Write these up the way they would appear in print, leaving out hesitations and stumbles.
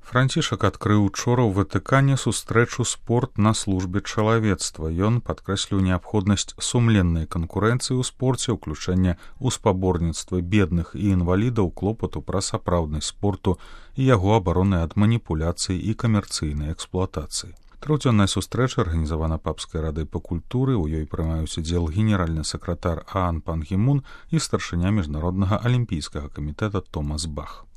Францішак адкрыў учора ў Ватыкане сустрэчу «Спорт на службе чалавецтва». Ён падкрэсліў неабходнасць сумленнай канкурэнцыі ў спорце, ўключэння ў спаборніцтвы бедных і інвалідаў, клопату пра сапраўднасць спорту і яго абароны ад маніпуляцый і камерцыйнай эксплуатацыі. Трохдзённая сустрэча арганізавана Папскай радай па культуры, у ёй прымаюць удзел генеральны сакратар Аан Пан Гі Мун і старшыня міжнароднага алімпійскага камітэта Томас Бах.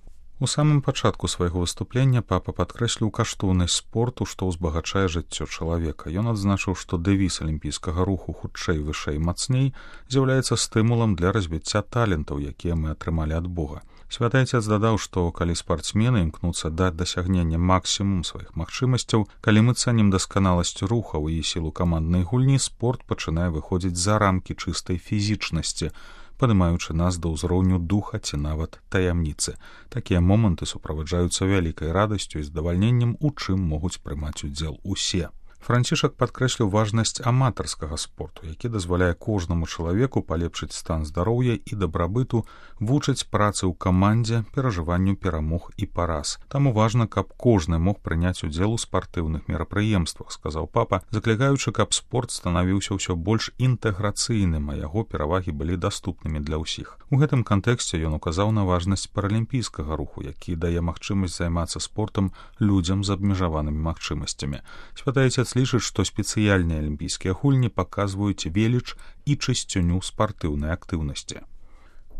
У самым пачатку свайго выступлення папа падкрэсліў каштоўнасць спорту, што ўзбагачае жыццё чалавека. Ён адзначыў, што дэвіз алімпійскага руху «Хутчэй, вышэй, мацней» з'яўляецца стымулам для развіцця талентаў, якія мы атрымалі ад Бога. Святы Отец дадаў, што калі спартсмены імкнуцца да дасягнення максімум сваіх магчымасцяў, калі мы цэнім дасканаласць рухаў і сілу каманднай гульні, спорт пачынае выходзіць за рамкі чыстай фізічнасці, падымаючы нас да ўзроўню духа ці нават таямніцы. Такія моманты суправаджаюцца вялікай радасцю і здавальненнем, у чым могуць прымаць удзел усе. Францішак падкрэсліў важнасць аматарскага спорту, які дазваляе кожнаму чалавеку палепшыць стан здароўя і дабрабыту, вучыць працы ў камандзе, перажыванню перамог і параз. Таму важна, каб кожны мог прыняць удзел у спартыўных мерапрыемствах, сказаў папа, заклікаючы, каб спорт станавіўся ўсё больш інтэграцыйным, а яго перавагі былі даступнымі для ўсіх. У гэтым кантэксце ён указаў на важнасць паралімпійскага руху, які дае магчымасць займацца спортам людзям з абмежаванымі магчымасцямі. Святы Отец лічыць, што спецыяльныя алімпійскія гульні паказваюць веліч і чысціню спартыўнай актыўнасці.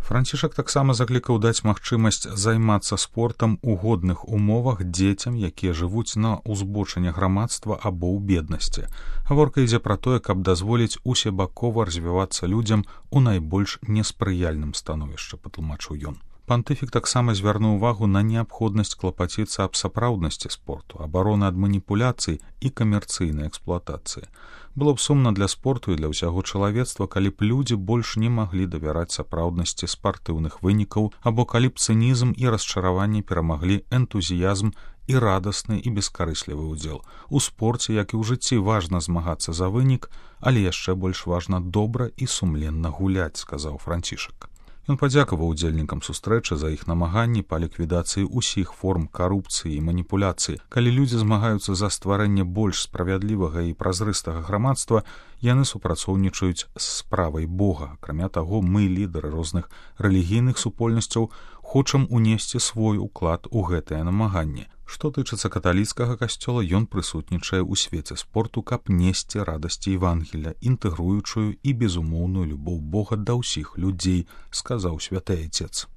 Францішак таксама заклікаў даць магчымасць займацца спортам у годных умовах дзецям, якія жывуць на ўзбочыне грамадства або ў беднасці. Гаворка ідзе пра тое, каб дазволіць усебакова развівацца людзям у найбольш неспрыяльным становішчы, патлумачыў ён. Пантыфік таксама звярнуў увагу на неабходнасць клапаціцца аб сапраўднасці спорту, абароны ад маніпуляцый і камерцыйнай эксплуатацыі. Было б сумна для спорту і для ўсяго чалавецтва, калі б людзі больш не маглі давяраць сапраўднасці спартыўных вынікаў, або калі б цынізм і расчараванне перамаглі энтузіязм і радасны і бескарыслівы ўдзел. У спорце, як і ў жыцці, важна змагацца за вынік, але яшчэ больш важна добра і сумленна гуляць, сказаў Францішак. Ён падзякаваў удзельнікам сустрэчы за іх намаганні па ліквідацыі ўсіх форм карупцыі і маніпуляцыі. Калі людзі змагаюцца за стварэнне больш справядлівага і празрыстага грамадства, яны супрацоўнічаюць з справай Бога. Акрамя таго, мы, лідары розных рэлігійных супольнасцяў, хочам унесці свой уклад у гэтае намаганне. Што тычыцца каталіцкага касцёла, ён прысутнічае ў свеце спорту, каб несці радасці Евангелля, інтэгруючую і безумоўную любоў Бога да ўсіх людзей, сказаў Святы Отец.